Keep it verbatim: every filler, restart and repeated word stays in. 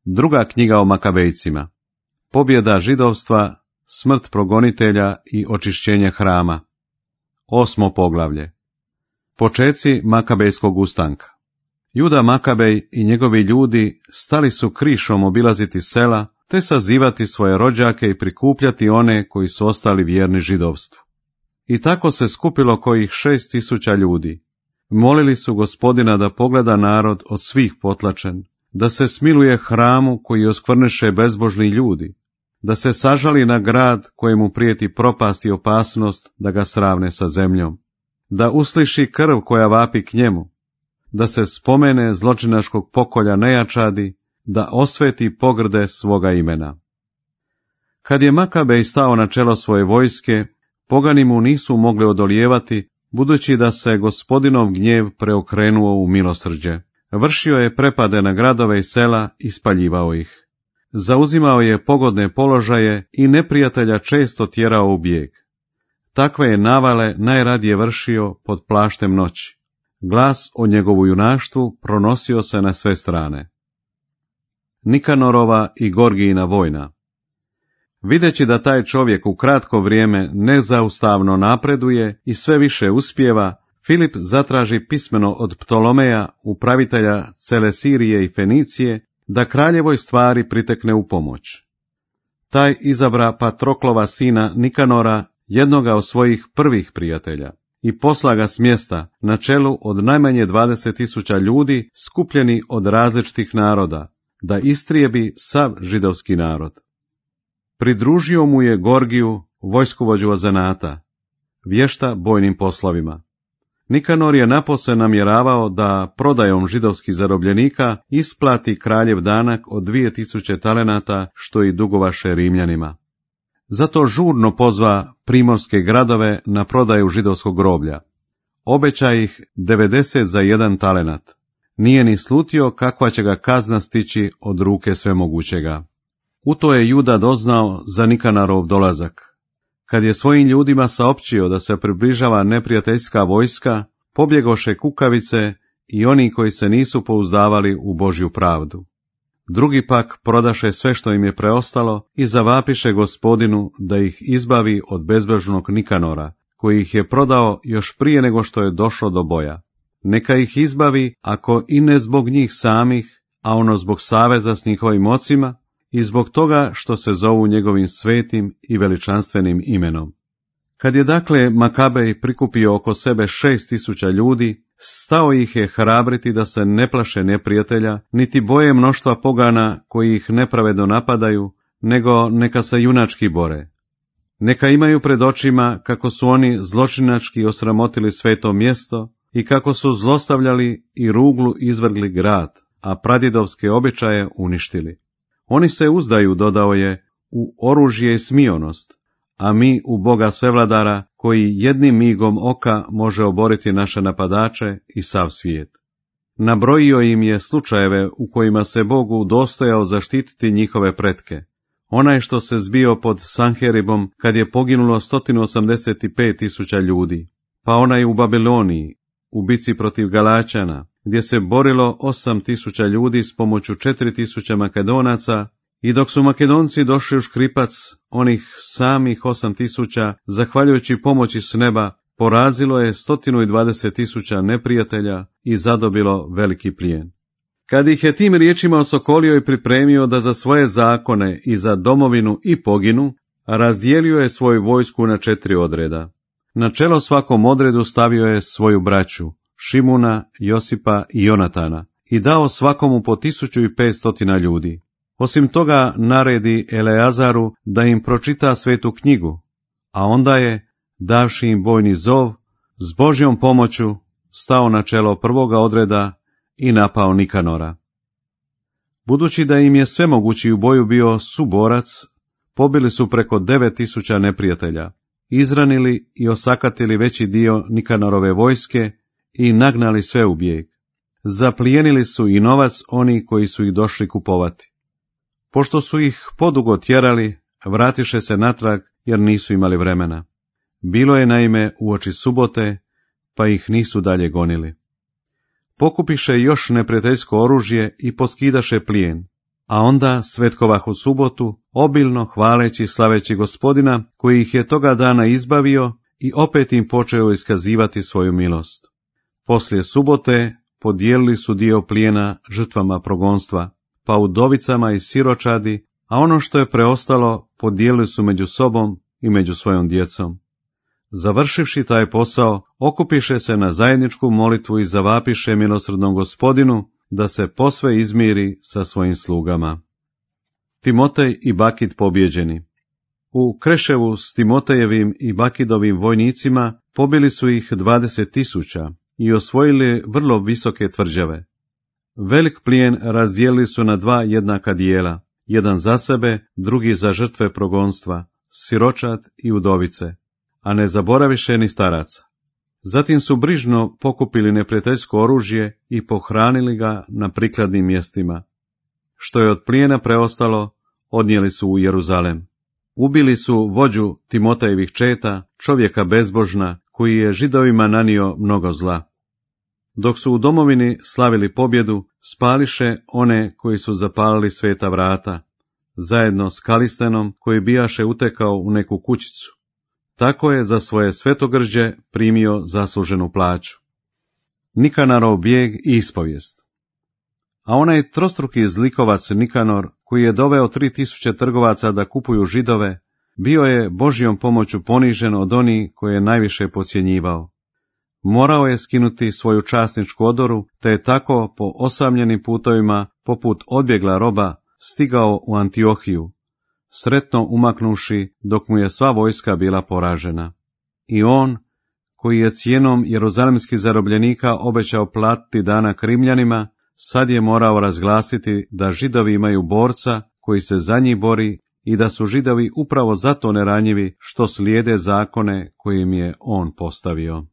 Druga knjiga o Makabejcima. Pobjeda židovstva, smrt progonitelja i očišćenje hrama. Osmo poglavlje. Počeci Makabejskog ustanka. Juda Makabej i njegovi ljudi stali su krišom obilaziti sela, te sazivati svoje rođake i prikupljati one koji su ostali vjerni židovstvu. I tako se skupilo kojih šest tisuća ljudi. Molili su Gospodina da pogleda narod od svih potlačen, da se smiluje hramu koji oskvrneše bezbožni ljudi, da se sažali na grad kojemu prijeti propast i opasnost da ga sravne sa zemljom, da usliši krv koja vapi k njemu, da se spomene zločinačkog pokolja nejačadi, da osveti pogrde svoga imena. Kad je Makabej stao na čelo svoje vojske, pogani mu nisu mogli odolijevati, budući da se Gospodinov gnjev preokrenuo u milosrđe. Vršio je prepade na gradove i sela i spaljivao ih. Zauzimao je pogodne položaje i neprijatelja često tjerao u bijeg. Takve je navale najradije vršio pod plaštem noći. Glas o njegovu junaštvu pronosio se na sve strane. Nikanorova i Gorgijina vojna. Videći da taj čovjek u kratko vrijeme nezaustavno napreduje i sve više uspijeva, Filip zatraži pismeno od Ptolomeja, upravitelja cele Sirije i Fenicije, da kraljevoj stvari pritekne u pomoć. Taj izabra Patroklova sina Nikanora, jednoga od svojih prvih prijatelja, i posla ga s mjesta na čelu od najmanje dvadeset tisuća ljudi skupljeni od različitih naroda, da istrijebi sav židovski narod. Pridružio mu je Gorgiju, vojskovođu od zanata, vješta bojnim poslovima. Nikanor je napose namjeravao da prodajom židovskih zarobljenika isplati kraljev danak od dvije tisuće talenata, što i dugovaše Rimljanima. Zato žurno pozva primorske gradove na prodaju židovskog groblja. Obeća ih devedeset za jedan talenat. Nije ni slutio kakva će ga kazna stići od ruke svemogućega. U to je Juda doznao za Nikanorov dolazak. Kad je svojim ljudima saopćio da se približava neprijateljska vojska, pobjegoše kukavice i oni koji se nisu pouzdavali u Božju pravdu. Drugi pak prodaše sve što im je preostalo i zavapiše Gospodinu da ih izbavi od bezbožnog Nikanora, koji ih je prodao još prije nego što je došlo do boja. Neka ih izbavi, ako i ne zbog njih samih, a ono zbog saveza s njihovim ocima, i zbog toga što se zovu njegovim svetim i veličanstvenim imenom. Kad je dakle Makabej prikupio oko sebe šest tisuća ljudi, stao ih je hrabriti da se ne plaše neprijatelja, niti boje mnoštva pogana koji ih nepravedno napadaju, nego neka se junački bore. Neka imaju pred očima kako su oni zločinački osramotili sveto mjesto i kako su zlostavljali i ruglu izvrgli grad, a pradjedovske običaje uništili. Oni se uzdaju, dodao je, u oružje i smionost, a mi u Boga svevladara, koji jednim migom oka može oboriti naše napadače i sav svijet. Nabrojio im je slučajeve u kojima se Bogu dostojao zaštititi njihove pretke. Onaj što se zbio pod Sanheribom kad je poginulo sto osamdeset pet tisuća ljudi, pa onaj u Babiloniji, u bici protiv Galačana, gdje se borilo osam tisuća ljudi s pomoću četiri tisuće Makedonaca, i dok su Makedonci došli u škripac, onih samih osam tisuća, zahvaljujući pomoći s neba, porazilo je sto dvadeset tisuća neprijatelja i zadobilo veliki plijen. Kad ih je tim riječima osokolio i pripremio da za svoje zakone i za domovinu i poginu, razdijelio je svoju vojsku na četiri odreda. Na čelo svakom odredu stavio je svoju braću, Šimuna, Josipa i Jonatana, i dao svakomu po tisuću i petstotina ljudi. Osim toga naredi Eleazaru da im pročita svetu knjigu, a onda je, davši im bojni zov, s Božjom pomoću stao na čelo prvoga odreda i napao Nikanora. Budući da im je svemogući u boju bio suborac, pobili su preko devet tisuća neprijatelja, izranili i osakatili veći dio Nikanorove vojske i nagnali sve u bijeg. Zaplijenili su i novac oni koji su ih došli kupovati. Pošto su ih podugo tjerali, vratiše se natrag jer nisu imali vremena. Bilo je naime uoči subote, pa ih nisu dalje gonili. Pokupiše još neprijateljsko oružje i poskidaše plijen. a onda svetkovahu subotu, obilno hvaleći i slaveći Gospodina, koji ih je toga dana izbavio i opet im počeo iskazivati svoju milost. Poslije subote podijelili su dio plijena žrtvama progonstva, pa udovicama i siročadi, a ono što je preostalo podijelili su među sobom i među svojom djecom. Završivši taj posao, okupiše se na zajedničku molitvu i zavapiše milosrdnom Gospodinu da se posve izmiri sa svojim slugama. Timotej i Bakid pobjeđeni. U Kreševu s Timotejevim i Bakidovim vojnicima pobili su ih dvadeset tisuća i osvojili vrlo visoke tvrđave. Velik plijen razdijelili su na dva jednaka dijela, jedan za sebe, drugi za žrtve progonstva, siročad i udovice, a ne zaboraviše ni staraca. Zatim su brižno pokupili neprijateljsko oružje i pohranili ga na prikladnim mjestima. Što je od plijena preostalo, odnijeli su u Jeruzalem. Ubili su vođu Timotejevih četa, čovjeka bezbožna, koji je Židovima nanio mnogo zla. Dok su u domovini slavili pobjedu, spališe one koji su zapalili sveta vrata, zajedno s Kalistenom koji bijaše utekao u neku kućicu. Tako je za svoje svetogrđe primio zasluženu plaću. Nikanarov bijeg i ispovijest. A onaj trostruki zlikovac Nikanor, koji je doveo tri tisuće trgovaca da kupuju Židove, bio je Božjom pomoću ponižen od onih koje je najviše podcjenjivao. Morao je skinuti svoju časničku odoru, te je tako po osamljenim putovima, poput odbjegla roba, stigao u Antiohiju, sretno umaknuši dok mu je sva vojska bila poražena. I on, koji je cijenom jeruzalemskih zarobljenika obećao platiti danak Rimljanima, sad je morao razglasiti da Židovi imaju borca koji se za njih bori i da su Židovi upravo zato neranjivi što slijede zakone koje im je on postavio.